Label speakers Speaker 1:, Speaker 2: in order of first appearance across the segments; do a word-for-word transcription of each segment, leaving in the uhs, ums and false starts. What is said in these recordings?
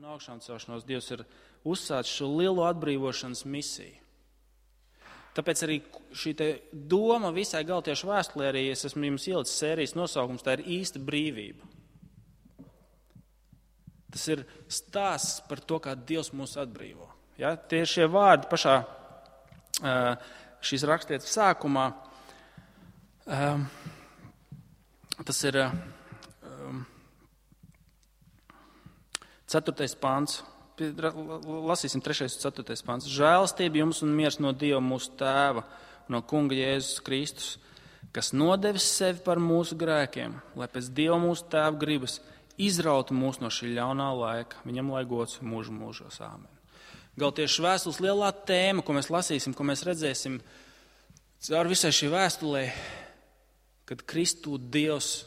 Speaker 1: un augšām celšanos Dievs ir uzsācis šo lielo atbrīvošanas misiju. Tāpēc arī šī te doma visai Galtiešu vēstulē, arī es esmu jums ielicis sērijas nosaukums, tā ir īsta brīvība. Tas ir stāsts par to, kā Dievs mūs atbrīvo. Ja? Tie šie vārdi pašā šīs rakstītas sākumā, tas ir ceturtais pants. Lasīsim trešais un ceturtais pants. Žēlastība jums un miers no Dieva mūsu tēva, no kunga Jēzus Kristus, kas nodevis sevi par mūsu grēkiem, lai pēc Dieva mūsu tēva gribas izrautu mūs no šī ļaunā laika. Viņam lai gods mūžu mūžos. Āmen. Galtiešu vēstules lielā tēma, ko mēs lasīsim, ko mēs redzēsim caur visai šī vēstulē, kad Kristū Dievs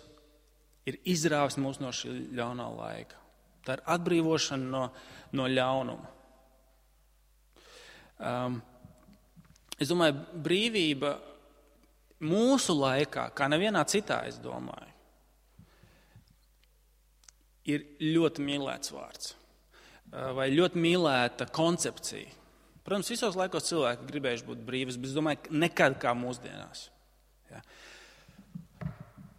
Speaker 1: ir izrāvis mūs no šī ļaunā laika. Tā ir atbrīvošana no, no ļaunuma. Um, es domāju, brīvība mūsu laikā, kā nevienā citā, es domāju, ir ļoti mīlēts vārds vai ļoti mīlēta koncepcija. Protams, visos laikos cilvēki gribējuši būt brīvas, bet es domāju, nekad kā mūsdienās. Ja.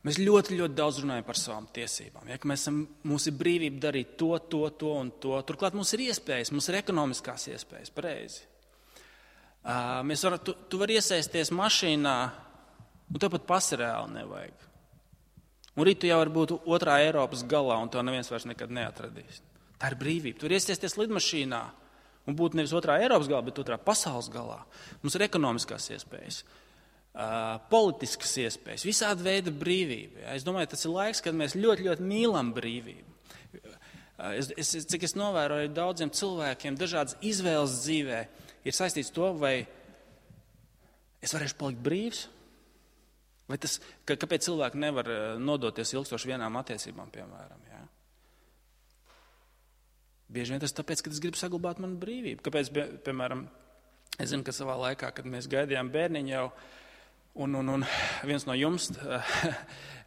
Speaker 1: Mēs ļoti, ļoti daudz runājam par savām tiesībām. Ja, ka mēs esam, mums ir brīvība darīt to, to, to un to. Turklāt mums ir iespējas, mums ir ekonomiskās iespējas, pareizi. Uh, mēs var, tu, tu vari iesaisties mašīnā, un tev pat pasi reāli nevajag. Un rīt tu jau vari būt otrā Eiropas galā, un tev neviens vairs nekad neatradīs. Tā ir brīvība. Tu vari iesaisties lidmašīnā un būt nevis otrā Eiropas galā, bet otrā pasaules galā. Mums ir ekonomiskās iespējas. Uh, politiskas iespējas, visāda veida brīvība. Ja? Es domāju, tas ir laiks, kad mēs ļoti, ļoti mīlam brīvību. Uh, es, es, cik es novēroju daudziem cilvēkiem, dažādas izvēles dzīvē ir saistīts to, vai es varēšu palikt brīvs, vai tas, ka, kāpēc cilvēki nevar nodoties ilgstoši vienām attiecībām, piemēram. Ja? Bieži vien tas tāpēc, ka es gribu saglabāt manu brīvību. Kāpēc, piemēram, es zinu, ka savā laikā, kad mēs gaidījām bērniņu jau, Un, un, un viens no jums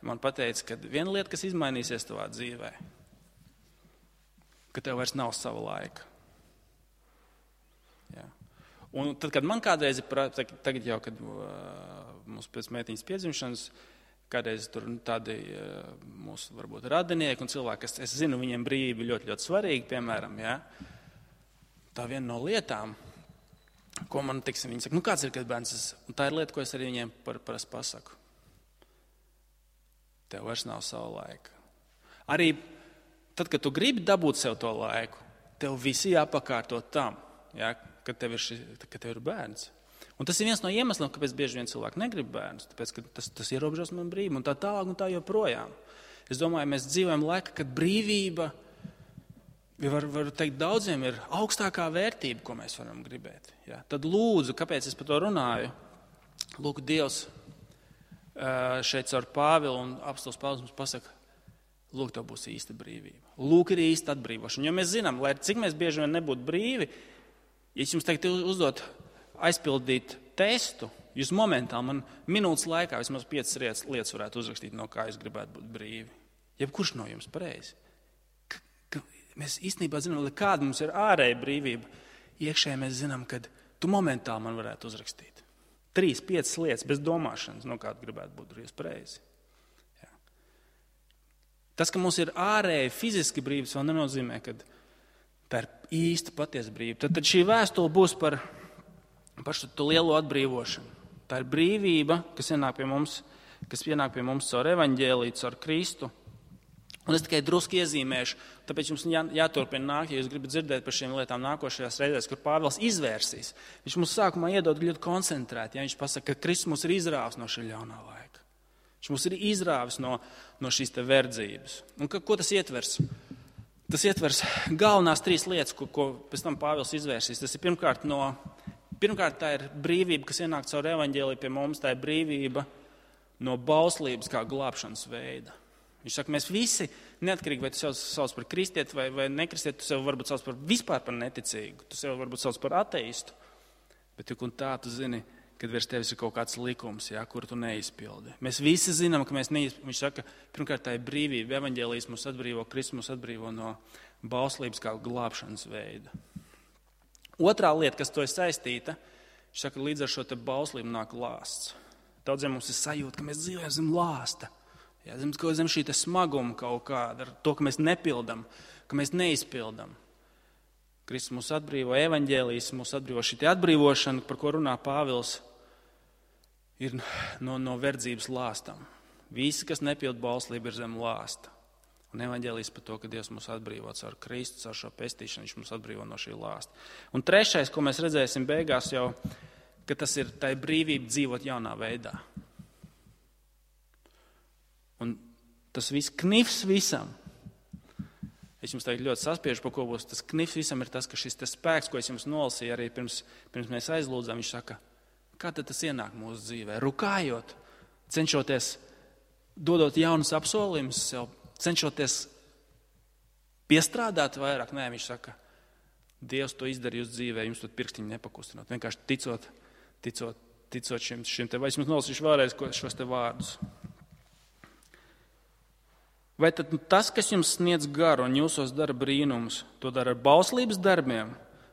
Speaker 1: man pateica, ka viena lieta, kas izmainīsies tavā dzīvē, ka tev vairs nav sava laika. Jā. Un tad, kad man kādreiz, tagad jau, kad uh, mums pēc meitiņas piedzimšanas, kādreiz tur tādi uh, mūsu varbūt radinieki un cilvēki, kas, es zinu, viņiem brīvība ļoti, ļoti svarīga, piemēram, jā. Tā viena no lietām, ko man, teiksim, viņi saka, nu kāds ir, kad bērns, un tā ir lieta, ko es arī viņiem par, parasti pasaku. Tev vairs nav sava laika. Arī tad, kad tu gribi dabūt sev to laiku, tev visi jāpakārto tam, ja, kad, tev ir ši, kad tev ir bērns. Un tas ir viens no iemesliem, kāpēc bieži vien cilvēki negrib bērnus, tāpēc, ka tas, tas ierobežos man brīvību, un tā tālāk, un tā joprojām. Es domāju, mēs dzīvojam laikā, kad brīvība, Var, var teikt, daudziem ir augstākā vērtība, ko mēs varam gribēt. Ja? Tad lūdzu, kāpēc es par to runāju? Lūk, Dievs šeit caur Pāvilu un apostols Pāvils mums pasaka, lūk, tev būs īsta brīvība. Lūk, ir īsta atbrīvošana. Jo mēs zinām, lai cik mēs bieži vien nebūtu brīvi, ja es jums teiktu uzdot aizpildīt testu, jūs momentāli man minūtes laikā vismaz piecas lietas varētu uzrakstīt, no kā es gribētu būt brīvi. Jebkurš no jums pareizi. Mēs īstenībā zinām, ka kāda mums ir ārēja brīvība, iekšēji mēs zinām, ka tu momentāli man varētu uzrakstīt. Trīs, piecas lietas bez domāšanas, no kāda gribētu būt brīvs pareizi. Jā. Tas, ka mums ir ārēja fiziski brīvības, vēl nenozīmē, ka tā ir īsta patiesa brīvība. Tad, tad šī vēstule būs par, par šo lielo atbrīvošanu. Tā ir brīvība, kas ienāk pie mums, kas ienāk pie mums caur evaņģēliju, caur Kristu. Un es tikai drusku iezīmēšu, tāpēc jums jā, jāturpina nākt, ja jūs gribat dzirdēt par šīm lietām nākošajās reizēs, kur Pāvils izvērsīs. Viņš mums sākumā iedod ļoti koncentrēti, ja viņš pasaka, ka Kristus mūs ir izrāvis no šī ļaunā laika. Viņš mūs ir izrāvis no, no šīs te verdzības. Un ka, ko tas ietvers? Tas ietvers galvenās trīs lietas, ko, ko pēc tam Pāvils izvērsīs. Tas ir pirmkārt, no, pirmkārt tā ir brīvība, kas ienāk caur evaņģēliju pie mums, tā ir brīvība no bauslības kā glābšanas veida. Viņš saka, mēs visi, neatkarīgi vai tu sev sauc par kristieti vai, vai nekristieti, tu sev varbūt sauc par vispār par neticīgu, tu sev varbūt sauc par ateistu, bet tik un tā tu zini, kad virs tevis ir kaut kāds likums, ja, kuru tu neizpildi. Mēs visi zinām, ka mēs neizpildi. Viņš saka, pirmkārt tā ir brīvība, evaņģēlijas mūs atbrīvo, Kristus mūs atbrīvo no, bauslības kā glābšanas veida. Otrā lieta, kas to ir saistīta, viņš saka, līdz ar šo te bauslību nāk lāsts. Daudziem mums ir sajūta, ka mēs dzīvojam zem lāsta. Jā, zem, zem šī te smaguma kaut kāda, ar to, ka mēs nepildam, ka mēs neizpildam. Kristus mūs atbrīvo, evaņģēlijs mūs atbrīvo. Šī te atbrīvošana, par ko runā Pāvils, ir no, no verdzības lāstam. Visi, kas nepild bauslību, ir zem lāsta. Un evaņģēlijs par to, ka Dievs mūs atbrīvo caur Kristu, caur šo pestīšanu, viņš mūs atbrīvo no šī lāsta. Un trešais, ko mēs redzēsim beigās jau, ka tas ir tā brīvība dzīvot jaunā veidā. Un tas viss knifs visam. Es jums tagad ļoti saspiežu, par ko būs. Tas knifs visam ir tas, ka šis tas spēks, ko es jums nolasīju arī pirms, pirms mēs aizlūdzām, viņš saka, kā tad tas ienāk mūsu dzīvē? Rukājot, cenšoties, dodot jaunus apsolījumus sev, cenšoties piestrādāt vairāk. Nē, viņš saka, Dievs to izdarīja uz dzīvē, jums tur pirkstiņu nepakustinot. Vienkārši ticot, ticot, ticot šim, šim te, vai es jums nolasīšu vēlreiz šos te vārdus. Vai tad tas, kas jums sniedz garu un jūsos dara brīnumus, to dara ar bauslības darbiem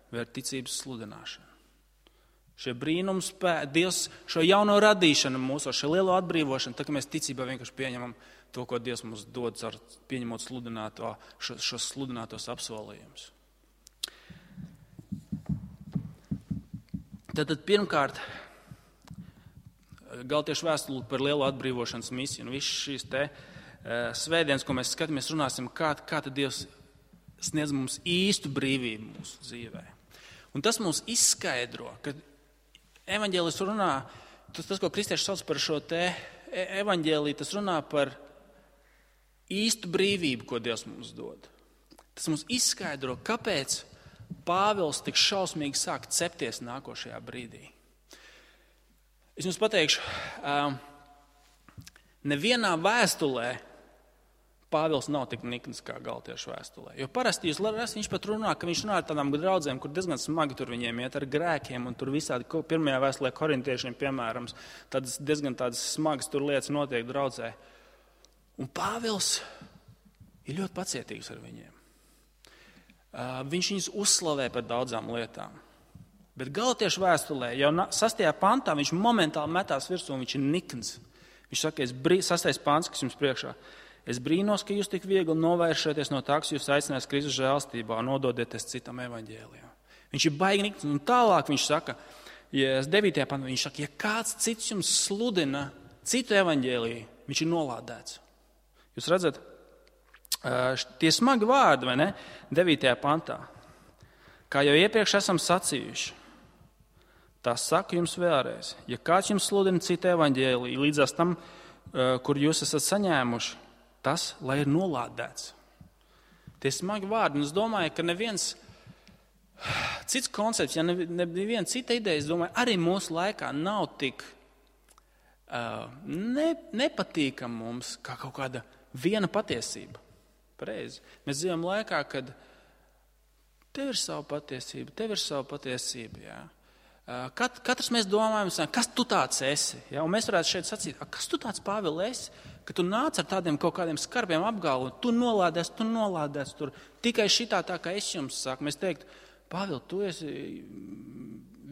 Speaker 1: vai ar ticības sludināšanu? Šie brīnums, Dievs šo jauno radīšanu mūsos, šo lielo atbrīvošanu, tā ka mēs ticībā vienkārši pieņemam to, ko Dievs mums dod, ar pieņemot sludināto, šo, šos sludinātos apsolījumus. Tātad pirmkārt, Galtiešu vēstule par lielo atbrīvošanas misiju un visas šīs te svētdienas, ko mēs skatāmies, runāsim, kā, kā tad Dievs sniedz mums īstu brīvību mūsu dzīvē. Un tas mums izskaidro, ka evaņģēlis runā, tas, tas ko kristieši sauc par šo te evaņģēliju, tas runā par īstu brīvību, ko Dievs mums dod. Tas mums izskaidro, kāpēc Pāvils tik šausmīgi sāk cepties nākošajā brīdī. Es jums pateikšu, nevienā vēstulē Pāvils nav tik nikns kā Galtiešu vēstulē. Jo parasti jūs lasāt, viņš pat runā, ka viņš runā ar tādām draudzēm, kur diezgan smagi tur viņiem iet ar grēkiem, un tur visādi pirmajā vēstulē korintiešiem, piemēram, tādas diezgan tādas smagas tur lietas notiek draudzē. Un Pāvils ir ļoti pacietīgs ar viņiem. Viņš viņus uzslavē par daudzām lietām. Bet Galtiešu vēstulē jau sastajā pantā viņš momentāli metās virsū, un viņš ir nikns. Viņš saka, es brī, sastais pants, kas jums priekšā. Es brīnos, ka jūs tik viegli novēršaties no tā, kas jūs aicinās Kristus žēlstībā un nododieties citam evaņģēlijam. Viņš ir baigi nikns, un tālāk viņš saka, ja devītajā pantā, viņš saka, ja kāds cits jums sludina citu evaņģēliju, viņš ir nolādēts. Jūs redzat, tie smagi vārdi, vai ne? devītajā pantā. Kā jau iepriekš esam sacījuši, tā saku jums vēlreiz. Ja kāds jums sludina citu evaņģēliju līdzās tam, kur jūs esat saņēmuši, tas, lai ir nolādēts. Tie smagi vārdi, un es domāju, ka neviens cits koncepts, ja neviena cita ideja, es domāju, arī mūsu laikā nav tik uh, ne, nepatīkam mums kā kaut kāda viena patiesība. Pareizi. Mēs dzīvojam laikā, kad tev ir sava patiesība, tev ir sava patiesība, jā. Kat, katrs mēs domājam, kas tu tāds esi, jā, un mēs varētu šeit sacīt, kas tu tāds, Pāvil, esi, ka tu nāc ar tādiem kaut kādiem skarbiem apgalvojumiem, tu nolādēs, tu nolādēs tur, tikai šitā tā, kā es jums saku, mēs teikt, Pāvil, tu esi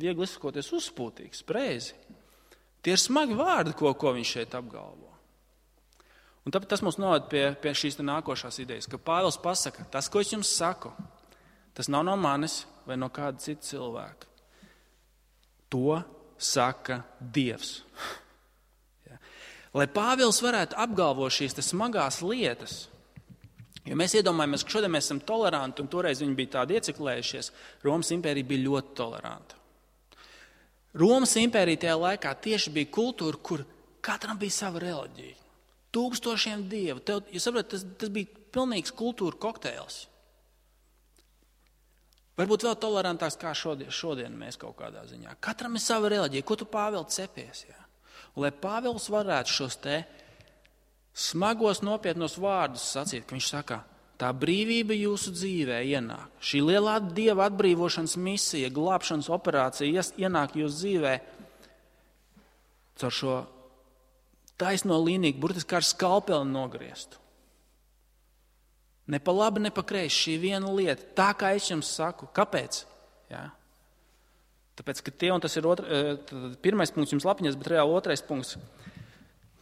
Speaker 1: viegli izsakoties uzspūtīgs, preizi. Tie ir smagi vārdi, ko, ko viņš šeit apgalvo. Un tāpēc tas mums noved pie, pie šīs nākošās idejas, ka Pāvils pasaka, tas, ko es jums saku, tas nav no manis vai no kāda cita cilvēka. To saka Dievs. Ja. Lai Pāvils varētu apgalvot šīs smagās lietas, jo mēs iedomājamies, ka šodien mēs esam toleranti, un toreiz viņi bija tādi ieciklējušies, Romas impērija bija ļoti toleranta. Romas impērija tajā laikā tieši bija kultūra, kur katram bija sava reliģija. Tūkstošiem dievu. Tev, jūs saprotat, tas, tas bija pilnīgs kultūra kokteils. Varbūt vēl tolerantāks kā šodien, šodien mēs kaut kādā ziņā. Katram ir sava reliģija. Ko tu, Pāvil, cepies? Jā? Un, lai Pāvils varētu šos te smagos nopietnos vārdus sacīt, ka viņš saka, tā brīvība jūsu dzīvē ienāk. Šī lielā Dieva atbrīvošanas misija, glābšanas operācija ienāk jūsu dzīvē caur šo taisno līniju, burtiski kā ar skalpeli nogrieztu. Ne pa labi, ne pa kreisi, šī viena lieta. Tā kā es jums saku. Kāpēc? Jā. Tāpēc, ka tie, un tas ir otra, pirmais punkts jums lapiņas, bet reāli otrais punkts,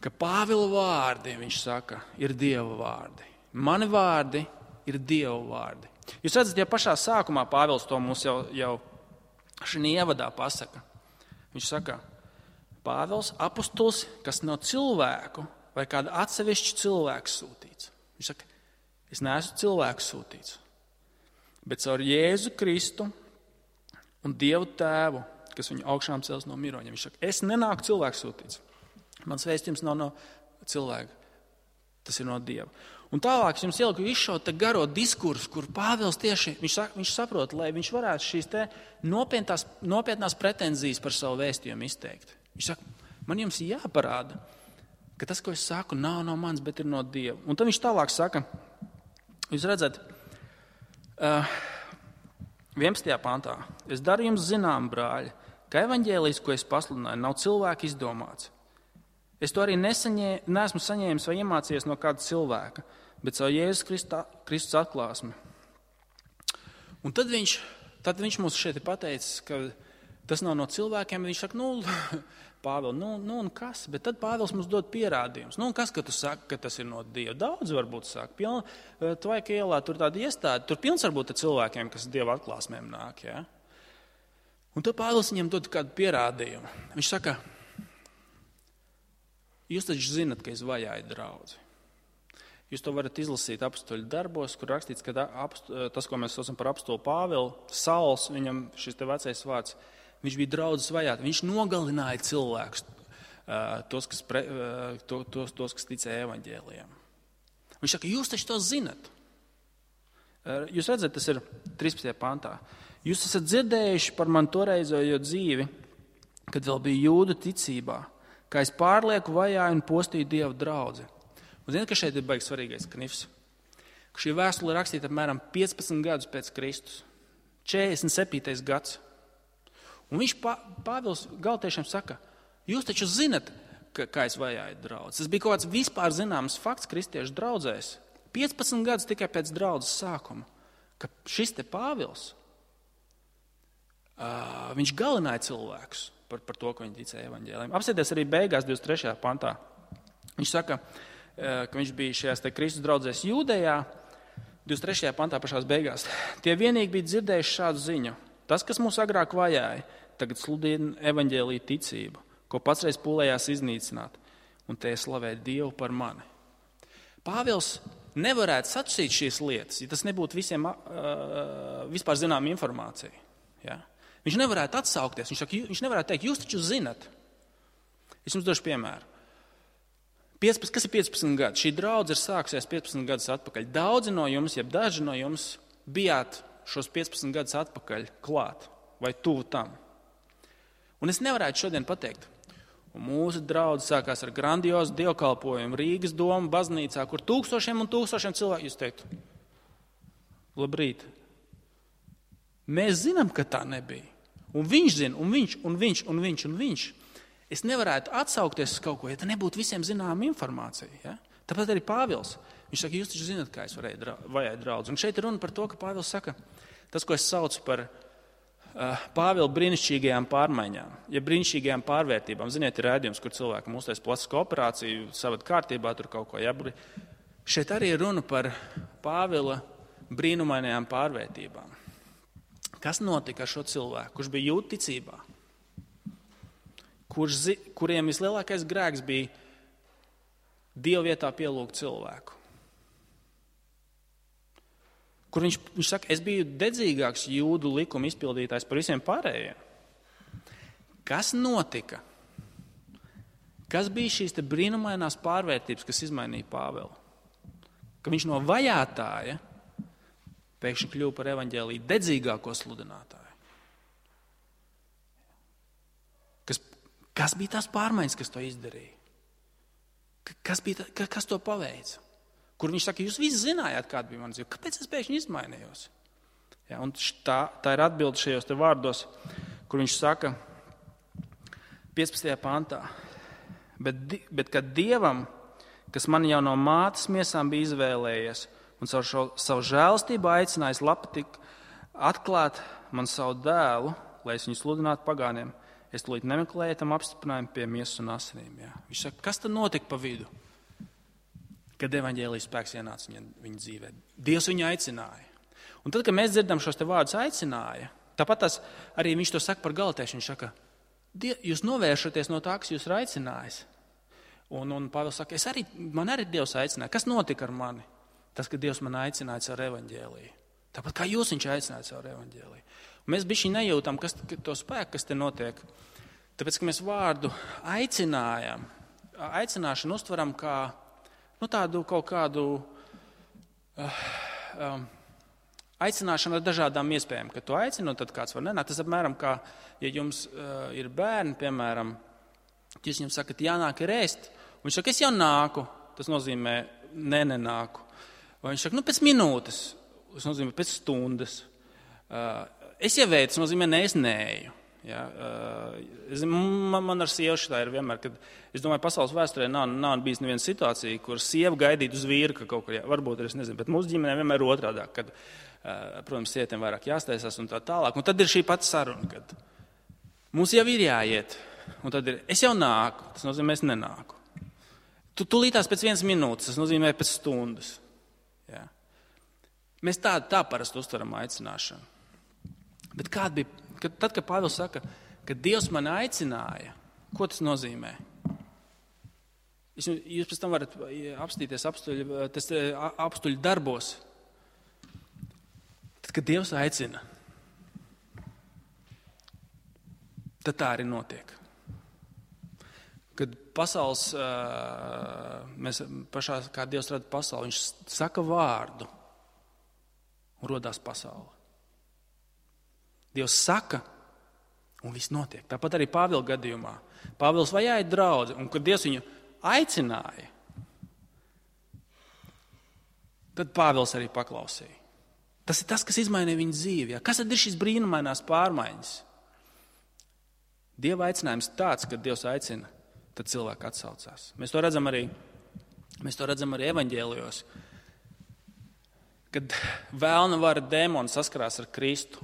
Speaker 1: ka Pāvila vārdi, viņš saka, ir Dieva vārdi. Mani vārdi ir Dieva vārdi. Jūs redzat, ja pašā sākumā Pāvils to mums jau, jau šī ievadā pasaka. Viņš saka, Pāvils apustulis, kas nav cilvēku vai kāda atsevišķa cilvēks sūtīts. Viņš saka, es neesmu cilvēks sūtīts, bet caur Jēzu Kristu un Dievu Tēvu, kas viņu augšām cels no miroņiem. Viņš saka, es nenāku cilvēks sūtīts. Mans vēstījums nav no cilvēka, tas ir no Dieva. Un tālāk es jums ieliku izšaut garo diskursu, kur Pāvils tieši, viņš, viņš saprot, lai viņš varētu šīs te nopietnās, nopietnās pretenzijas par savu vēstījumu izteikt. Viņš saka, man jums jāparāda, ka tas, ko es saku, nav no mans, bet ir no Dieva. Un tad viņš tālāk saka, jūs redzat, vienpadsmitajā pantā, es daru jums zinām, brāļi, ka evaņģēlijs, ko es pasludināju, nav cilvēka izdomāts. Es to arī nesaņē, neesmu saņēmis vai iemācījies no kāda cilvēka, bet savu Jēzus Kristus atklāsmi. Un tad viņš, tad viņš mums šeit ir pateicis, ka tas nav no cilvēkiem. Viņš saka, nu, Pāvils, nu, nu un kas? Bet tad Pāvils mums dod pierādījumus. Nu, un kas, ka tu saki, ka tas ir no Dieva? Daudz varbūt saka. Piln, Tvaika ielā tur tāda iestāde. Tur pilns varbūt ar cilvēkiem, kas Dieva atklāsmēm nāk. Ja? Un tad Pāvils viņam dod kādu pierādījumu. Viņš saka, jūs taču zinat, ka es vajāju draudzi. Jūs to varat izlasīt apstuļu darbos, kur rakstīts, ka tas, ko mēs saucam par apstulu Pāvilu, Sauls, viņam šis te vecais vārds, viņš bija draudzes vajāt. Viņš nogalināja cilvēkus, tos, kas, pre, tos, tos, kas ticēja evaņģēlijam. Viņš saka, jūs taču to zinat. Jūs redzat, tas ir trīspadsmitajā pantā. Jūs esat dzirdējuši par man toreizējo dzīvi, kad vēl bija jūdu ticībā, kā es pārlieku vajāju un postīju Dievu draudzi. Un ziniet, ka šeit ir baigi svarīgais knifs. Ka šī vēstule ir rakstīta apmēram piecpadsmit gadus pēc Kristus. četrdesmit septītais gads. Un viņš Pāvils galotiešiem saka, jūs taču zinat, ka, kā es vajāju draudzi. Tas bija kaut kāds vispār zināms fakts kristiešu draudzēs. piecpadsmit gadus tikai pēc draudzes sākuma, ka šis te Pāvils, uh, viņš galināja cilvēkus par, par to, ka viņi ticēja evaņģēlijam. Apsēties arī beigās divdesmit trešajā pantā. Viņš saka, uh, ka viņš bija šajās te Kristus draudzēs Jūdejā, divdesmit trešajā pantā pašās beigās. Tie vienīgi bija dzirdējuši šādu ziņu. Tas, kas mūs agrāk vajāja, tagad sludina evaņģēlija ticību, ko pats reiz pūlējās iznīcināt, un tie slavē Dievu par mani. Pāvils nevarētu sacīt šīs lietas, ja tas nebūtu visiem uh, vispār zinām informācija. Ja? Viņš nevarētu atsaukties, viņš, saka, viņš nevarētu teikt, jūs taču zinat. Es jums došu piemēru. piecpadsmit, kas ir piecpadsmit gadi? Šī draudze ir sākusies piecpadsmit gadus atpakaļ. Daudzi no jums, jeb daži no jums, bijāt šos piecpadsmit gadus atpakaļ klāt vai tuvu tam. Un es nevarētu šodien pateikt, un mūsu draudze sākās ar grandiozu dievkalpojumu Rīgas doma baznīcā, kur tūkstošiem un tūkstošiem cilvēku. Jūs teiktu, labrīt. Mēs zinām, ka tā nebija. Un viņš zina, un viņš, un viņš, un viņš, un viņš. Es nevarētu atsaukties uz kaut ko, ja tā nebūtu visiem zināma informācija. Ja? Tāpat arī Pāvils. Viņš saka, jūs taču zināt, kā es varēju dra- vajāt draudzi. Un šeit ir runa par to, ka Pāvils saka, tas, ko es saucu par Pāvila brīnišķīgajām pārmaiņām, ja brīnišķīgajām pārvērtībām. Ziniet, ir rādījums, kur cilvēkam uztais plastisko operāciju, savad kārtībā, tur kaut ko jābri. Šeit arī ir runa par Pāvila brīnumainajām pārvērtībām. Kas notika ar šo cilvēku, kurš bija jūdu ticībā, kurš, kuriem vislielākais grēks bija Dieva vietā pielūgt cilvēku? Kur viņš, viņš saka, es biju dedzīgāks jūdu likuma izpildītājs par visiem pārējiem. Kas notika? Kas bija šīs te brīnumainās pārvērtības, kas izmainīja Pāvilu? Ka viņš no vajātāja pēkšņi kļuva par evaņģēliju dedzīgāko sludinātāju. Kas, kas bija tās pārmaiņas, kas to izdarīja? Kas, bija tā, kas to paveica? Kur viņš saka, jūs visi zinājāt, kāda bija mana dzīve. Kāpēc es pēkšņi izmainījos? Ja, un tā, tā ir atbilde šajos te vārdos, kur viņš saka piecpadsmitajā pantā. Bet, bet kad Dievam, kas man jau no mātes miesām bija izvēlējies un caur šo savu žēlastību aicinājis labpatīk atklāt man savu dēlu, lai es viņu sludinātu pagāniem. Es tūlīt nemeklēju tam apstiprinājumu pie miesas un asinīm. Jā. Viņš saka, kas tad notika pa vidu, kad evaņģēlijas spēks ienāca viņa, viņa dzīvē? Dievs viņu aicināja. Un tad, kad mēs dzirdam šos te vārdus aicināja, tāpat tas arī viņš to saka par Galatiešu. Viņš saka, jūs novēršaties no tā, kas jūs ir aicinājis. Un, un Pāvils saka, es arī, man arī Dievs aicināja. Kas notika ar mani? Tas, ka Dievs man aicināja caur evaņģēliju. Tāpat kā jūs viņš aicināja caur evaņģēliju. Un mēs bišķi nejūtam, kas to spēku, kas te notiek. Tāpēc, ka mēs vārdu aicinājam, aicināšanu uztveram kā nu, tādu kaut kādu uh, um, aicināšanu ar dažādām iespējām. Kad tu aicini, un tad kāds var nenākt. Tas apmēram kā, ja jums uh, ir bērni, piemēram, jūs viņam sakat, jānāk ir ēst. Viņš saka, es jau nāku. Tas nozīmē, ne, nenāku. Vai viņš saka, nu, pēc minūtes. Tas nozīmē, pēc stundas. Uh, es jau veicu, tas nozīmē, ne, es neeju. Ja? Uh, es, man, man ar sievu šitā ir vienmēr, kad, es domāju, pasaules vēsturē nav, nav bijis neviena situācija, kur sieva gaidītu uz vīru, ka kaut kur, jā, varbūt, es nezinu, bet mūsu ģimenē vienmēr otrādāk, kad, uh, protams, sievietēm vairāk jāsteisās un tā tālāk. Un tad ir šī pati saruna, kad mums jau ir jāiet. Un tad ir, es jau nāku, tas nozīmē, es nenāku. Tu tulītās pēc vienas minūtes, tas nozīmē pēc stundas. Ja. Mēs tā, tā parasti uztveram aicināšanu. Bet kāda bija, kad, tad, kad Pāvils saka, ka Dievs mani aicināja, ko tas nozīmē? Es, jūs pēc tam varat apstīties apstuļu, tas apstuļu darbos. Tad, kad Dievs aicina, tad tā arī notiek. Kad pasaules, mēs pašā, kā Dievs rada pasauli, viņš saka vārdu un rodās pasaule. Dievs saka un viss notiek. Tāpat arī Pāvila gadījumā. Pāvils vajāja draudzi, un kad Dievs viņu aicināja, tad Pāvils arī paklausīja. Tas ir tas, kas izmainīja viņa dzīvi. Ja? Kas tad ir šis brīnumainās pārmaiņas? Dieva aicinājums tāds, kad Dievs aicina, tad cilvēki atsaucās. Mēs to redzam arī, mēs to redzam arī evaņģēlijos, kad vēlna vara dēmoni saskarās ar Kristu,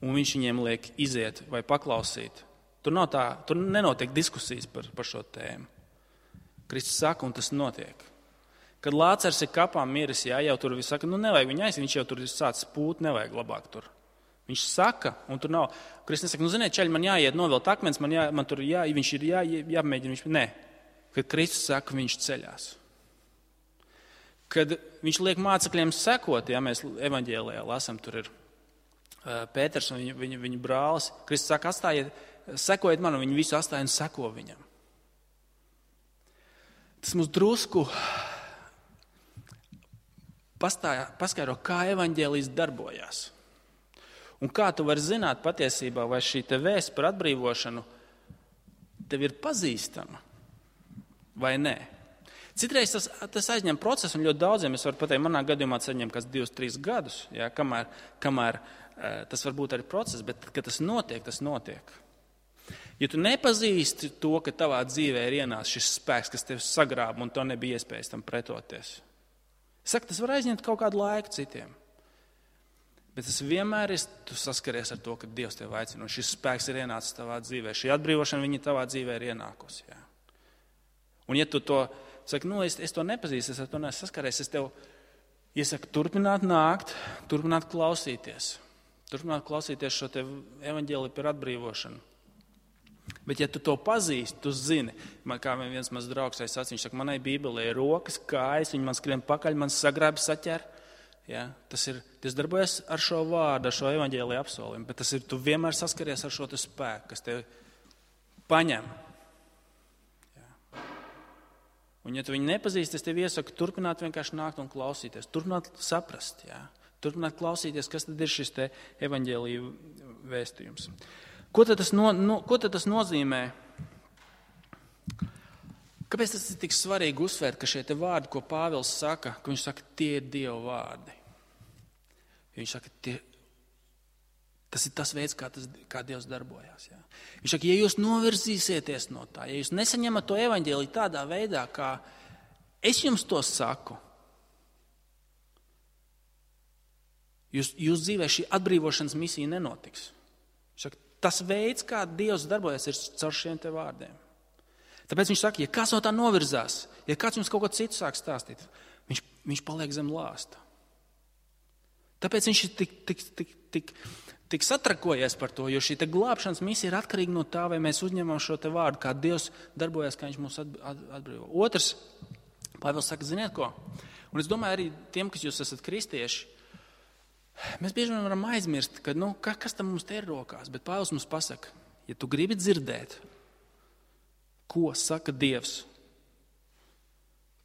Speaker 1: un viņš viņiem liek iziet vai paklausīt. Tur, nav tā, tur nenotiek diskusijas par, par šo tēmu. Kristus saka, un tas notiek. Kad Lācars ir kapā miris, jā, jau tur viss saka, nu nevajag viņu aiziet, viņš jau tur ir sācis pūt, nevajag labāk tur. Viņš saka, un tur nav. Kristus nesaka, nu ziniet, čaļi, man jāiet novilkt akmens, man, jā, man tur jā, viņš ir jā, jāmēģina. Viņš, nē, kad Kristus saka, viņš ceļās. Kad viņš liek mācekļiem sekot, ja mēs evaņģēlijā lasam, tur ir uh, Pēters un viņa, viņa, viņa brālis. Kristus saka, atstājiet, sekojiet man, un viņi visu atstāja un seko viņam. Tas mums drusku pastāja, paskaidro, kā evaņģēlijs darbojās. Un kā tu vari zināt patiesībā, vai šī te vēsts par atbrīvošanu tev ir pazīstama vai nē. Citreiz tas, tas aizņem procesu, un ļoti daudziem, es varu pateikt, manā gadījumā tas aizņem kāds divus, trīs gadus, jā, kamēr, kamēr tas var būt arī process, bet kad tas notiek, tas notiek. Ja tu nepazīsti to, ka tavā dzīvē ir ienācis šis spēks, kas tevi sagrāba, un to nebija iespējas tam pretoties. Saka, tas var aizņemt kaut kādu laiku citiem. Bet tas vienmēr ir, tu saskaries ar to, ka Dievs tevi aicina, un šis spēks ir ienācis tavā dzīvē. Šī atbrīvošana viņa tavā dzīvē ir ienākusi. Jā. Un ja tu to saki, nu, es, es to nepazīstu, es ar to neesmu saskaries, es tev iesaku turpināt nākt, turpināt klausīties. Turpināt klausīties šo te evaņģēliju par atbrīvošanu. Bet ja tu to pazīsti, tu zini, man kā viens mans draugs sacīja, viņš saka, manai Bībelē ir rokas, kājas, viņi man skrien pakaļ, man sagrābi saķer. Ja, tas ir, tas darbojas ar šo vārdu, ar šo evaņģēliju apsolījumu, bet tas ir, tu vienmēr saskaries ar šo te spēku, kas tevi paņem. Ja. Un ja tu viņu nepazīsti, es tev iesaku turpināt vienkārši nākt un klausīties, turpināt saprast, ja. Turpināt klausīties, kas tad ir šis te evaņģēliju vēstījums. Ko tad tas, no, no, ko tad tas nozīmē? Kāpēc tas ir tik svarīgi uzsvērt, ka šie te vārdi, ko Pāvils saka, ka viņš saka, tie ir Dieva vārdi. Viņš saka, tie, tas ir tas veids, kā, tas, kā Dievs darbojās. Jā. Viņš saka, ja jūs novirzīsieties no tā, ja jūs nesaņemat to evaņģēliju tādā veidā, kā es jums to saku, Jūs, jūs dzīvē šī atbrīvošanas misija nenotiks. Saka, tas veids, kā Dievs darbojas, ir caur šiem te vārdiem. Tāpēc viņš saka, ja kāds no tā novirzās, ja kāds jums kaut ko citu sāk stāstīt, viņš, viņš paliek zem lāsta. Tāpēc viņš ir tik, tik, tik, tik, tik satrakojies par to, jo šī te glābšanas misija ir atkarīga no tā, vai mēs uzņemam šo te vārdu, kā Dievs darbojas, kā viņš mūs atbrīvo. Otrs, Pāvils saka, ziniet ko? Un es domāju arī tiem, kas jūs esat kristieši, mēs bieži vien varam aizmirst, ka, nu, kas tam mums te ir rokās, bet Pāvils mums pasaka, ja tu gribi dzirdēt, ko saka Dievs,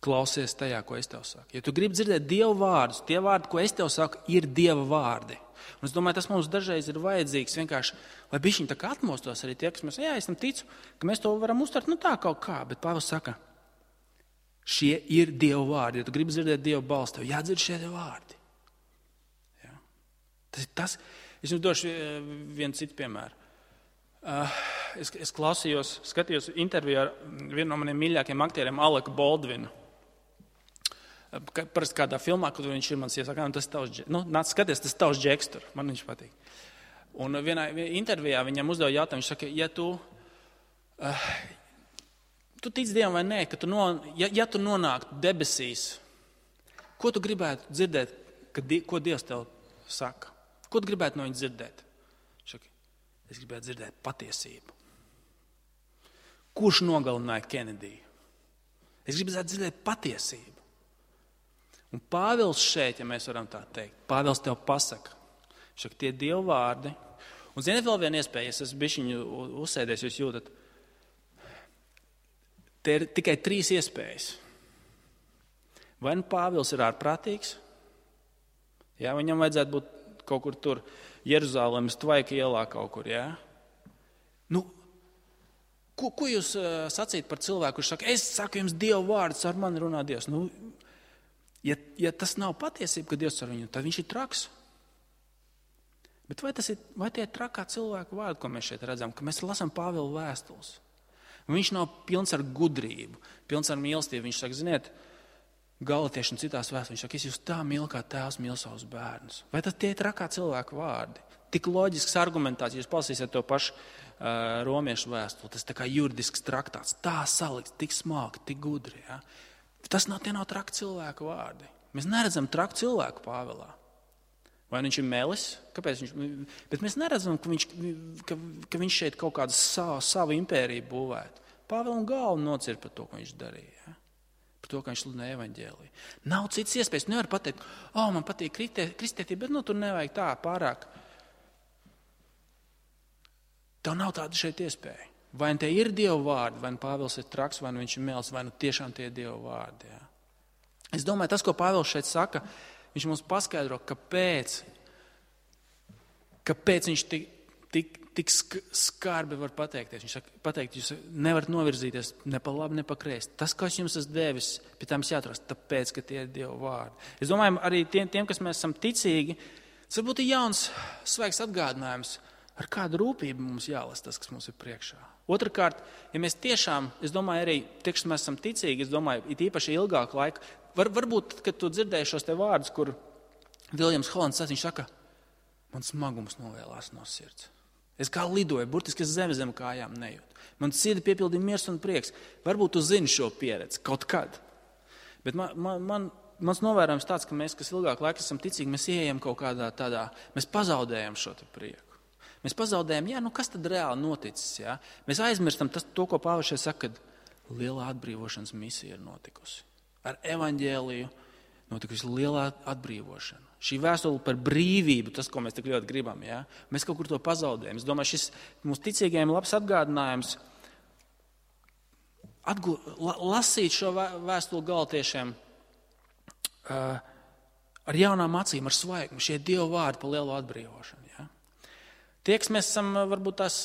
Speaker 1: klausies tajā, ko es tev saku. Ja tu gribi dzirdēt Dieva vārdus, tie vārdi, ko es tev saku, ir Dieva vārdi. Un es domāju, tas mums dažreiz ir vajadzīgs vienkārši, lai bišķiņi tā kā atmostos arī tie, kas mēs, jā, es tam ticu, ka mēs to varam uztvert, nu tā kaut kā, bet Pāvils saka, šie ir Dieva vārdi. Ja tu gribi dzirdēt Dieva balsi, tev jādzird šie vārdi. Ja? Tas ir tas. Es jums došu vienu citu piemēru. Uh, es, es klausījos, skatījos interviju ar vienu no maniem mīļākajiem aktieriem, Aleku Baldvinu. Uh, parasti kādā filmā, kur viņš ir mans iesaka, tas tavs, nu, nāc skaties, tas tavs džeks tur, man viņš patīk. Un vienā intervijā viņam uzdeva jautājumu, viņš saka, ja tu... Uh, Tu tic Dievam vai nē, ka tu no, ja, ja tu nonāktu debesīs, ko tu gribētu dzirdēt, ka, ko Dievs tev saka? Ko tu gribētu no viņa dzirdēt? Šaki, es gribētu dzirdēt patiesību. Kurš nogalināja Kenediju? Es gribētu dzirdēt patiesību. Un Pāvils šeit, ja mēs varam tā teikt, Pāvils tev pasaka, šaki, tie Dieva vārdi. Un ziniet vēl viena iespēja, es esmu bišķiņu uzsēdies, jūs jūtat, te ir tikai trīs iespējas. Vai nu Pāvils ir ārprātīgs, jā, viņam vajadzētu būt kaut kur tur Jeruzālēmas tvaika ielā kaut kur, jā. Nu, ko, ko jūs uh, sacīt par cilvēku, kurš saka, es saku jums Dieva vārdus, ar mani runā Dievs. Nu, ja, ja tas nav patiesība, ka Dievs ar viņu, tad viņš ir traks. Bet vai, tas ir, vai tie ir trakā cilvēku vārdi, ko mēs šeit redzam, ka mēs lasām Pāvila vēstules? Viņš nav pilns ar gudrību, pilns ar mīlestību. Viņš saka, ziniet, Galatieši un citās vēstulēs, viņš saka, es jūs tā mīlu, kā tēvs mīl savus bērnus. Vai tas tie ir trakā cilvēku vārdi? Tik loģisks argumentācija, jūs palasīsiet to pašu uh, romiešu vēstuli, tas tā kā juridisks traktāts, tā salikts, tik smalki, tik gudri. Ja? Tas nav, tie nav traki cilvēku vārdi. Mēs neredzam traku cilvēku Pāvilā. Vai viņš ir melis? Kāpēc viņš? Bet mēs neredzam, ka viņš, ka, ka viņš šeit kaut kādu savu, savu impēriju būvētu. Pāvilam galvu nocir par to, ko viņš darīja. Ja? Par to, ka viņš sludināja evaņģēliju. Nav citas iespējas. Nevar pateikt, o, oh, man patīk kristietība, bet nu, tur nevajag tā pārāk. Tev nav tāda šeit iespēja. Vai nu tie ir Dieva vārdi, vai nu Pāvils ir traks, vai nu viņš ir melis, vai nu tiešām tie ir Dieva vārdi. Ja? Es domāju, tas, ko Pāvils šeit saka, viņš mums paskaidro, kāpēc, kāpēc viņš tik, tik, tik skarbi var pateikties. Viņš saka, pateikt, jūs nevarat novirzīties ne pa labi, ne pa kreisi. Tas, ko es jums esmu devis, pie tām jāatrast, tāpēc, ka tie ir Dieva vārdi. Es domāju, arī tiem, tiem kas mēs esam ticīgi, tas varbūt ir jauns, svaigs atgādinājums, ar kādu rūpību mums jālas tas, kas mums ir priekšā. Otrakārt, ja mēs tiešām, es domāju, arī tie, kas mēs esam ticīgi, es domāju, it īpaši ilgāku laiku, Var, varbūt, kad tu dzirdēji šos te vārdus, kur Viljams Holands viņš saka, man smagums novēlās no sirds. Es kā lidoju, burtiski es zemi zem kājām nejūtu. Man sirdi piepildīja miers un prieks. Varbūt tu zini šo pieredzi kaut kad. Bet man, man, man, mans novērojums tāds, ka mēs, kas ilgāk laika esam ticīgi, mēs ieejam kaut kādā tādā, mēs pazaudējam šo te prieku. Mēs pazaudējam, jā, nu kas tad reāli noticis, jā? Mēs aizmirstam tas, to, ko Pāvils šeit saka, kad lielā atbrīvošanas misija ir notikusi. Ar evaņģēliju notikusi lielā atbrīvošana. Šī vēstule par brīvību, tas, ko mēs tik ļoti gribam, ja? Mēs kaut kur to pazaudējam. Es domāju, šis mums ticīgajiem labs atgādinājums atgu, la, lasīt šo vēstuli Galatiešiem uh, ar jaunām acīm, ar svaigumu, šie Dieva vārdi par lielo atbrīvošanu. Ja? Tie, kas mēs esam varbūt tās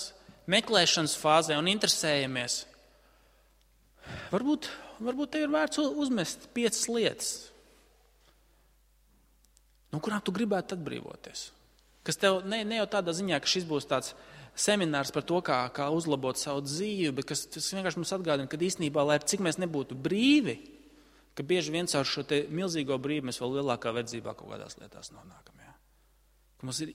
Speaker 1: meklēšanas fāzē un interesējamies, varbūt Varbūt tev ir vērts uzmest piecas lietas, no kurām tu gribētu atbrīvoties. Kas tev ne, ne jau tādā ziņā, ka šis būs tāds seminārs par to, kā, kā uzlabot savu dzīvi, bet kas vienkārši mums atgādina, ka īstenībā, lai cik mēs nebūtu brīvi, ka bieži vien caur šo te milzīgo brīvi mēs vēl lielākā verdzībā kaut kādās lietās nonākam. Ja? Ka mums ir,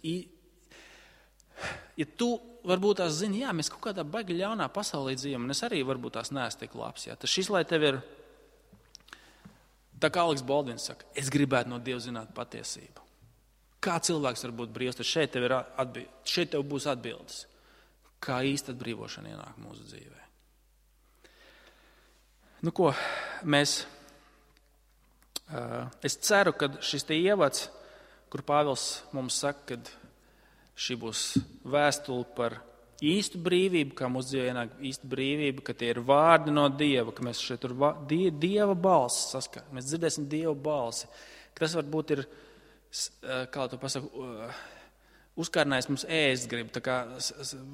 Speaker 1: ja tu varbūt tās zini, jā, mēs kaut kādā baigi ļaunā pasaulē dzīvojam, un es arī varbūt tās neesmu tik labs, jā, tas šis, lai tev ir, tā kā Aleks Baldvins saka, es gribētu no Dieva zināt patiesību. Kā cilvēks var būt brīvs, tad šeit tev, ir atbild, šeit tev būs atbildes. Kā īsta atbrīvošana ienāk mūsu dzīvē. Nu ko, mēs, uh, es ceru, ka šis te ievads, kur Pāvils mums saka, ka šī būs vēstule par īstu brīvību, kā mūsu dzīvē ienāk īsta brīvība, ka tie ir vārdi no Dieva, ka mēs šeit tur va, die, Dieva balsi saskatām, mēs dzirdēsim Dieva balsi. Tas varbūt ir, kā to pasaku, uzkārnājis mums ēst grib, tā kā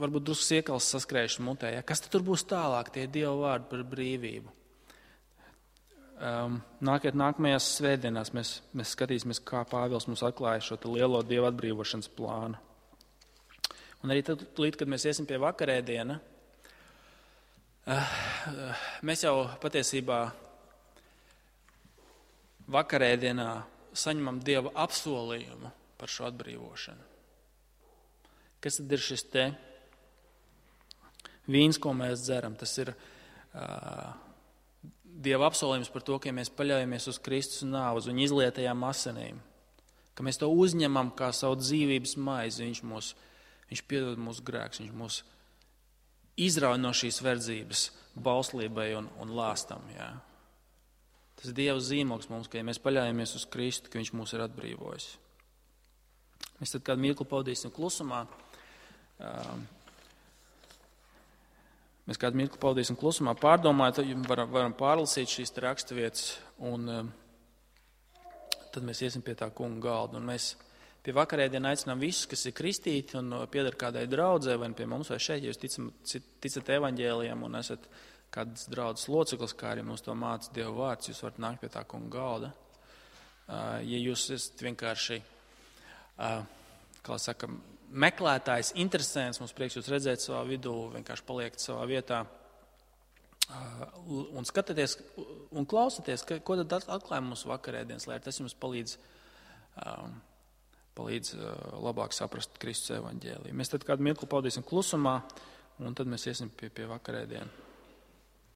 Speaker 1: varbūt drusku siekals saskrējuši mutē. Ja? Kas tad tur būs tālāk, tie Dieva vārdi par brīvību? Um, nākiet nākamajās svētdienās, mēs, mēs skatīsimies, kā Pāvils mums atklāja šo lielo Dieva atbrīvošanas plānu. Un arī tad, līdz, kad mēs iesim pie vakarēdiena, mēs jau patiesībā vakarēdienā saņemam Dieva apsolījumu par šo atbrīvošanu. Kas tad ir šis te vīns, ko mēs dzeram? Tas ir uh, Dieva apsolījums par to, ka ja mēs paļaujamies uz Kristus nāvi, uz viņa izlietajām asinīm, ka mēs to uzņemam kā savu dzīvības maizi, viņš mūs, viņš piedod mūsu grēkus, viņš mūs izrauj no šīs verdzības bauslībai un, un lāstam. Jā. Tas ir Dieva zīmogs mums, ka ja mēs paļaujamies uz Kristu, ka viņš mūs ir atbrīvojis. Mēs tad kādu mirkli pavadīsim klusumā. Mēs kādu mirkli pavadīsim klusumā, pārdomājot, varam, varam pārlasīt šīs raksturvietas, un tad mēs iesim pie tā kunga galda. Un mēs pie vakarēdiena aicinām visus, kas ir kristīti un pieder kādai draudzē, vai pie mums vai šeit, ja jūs ticam, ticat evaņģēlijam un esat kādas draudzes loceklis, kā arī mums to māca Dieva vārds, jūs varat nākt pie tā kunga galda. Ja jūs esat vienkārši, kā saka, meklētājs, interesants, mums prieks jūs redzēt savā vidū, vienkārši paliekat savā vietā un skatāties un klausaties, ko tad atklāja mums vakarēdienas, lai tas jums palīdz, palīdz labāk saprast Kristus evaņģēliju. Mēs tad kādu mirkli pavadīsim klusumā, un tad mēs iesim pie, pie vakarēdienu.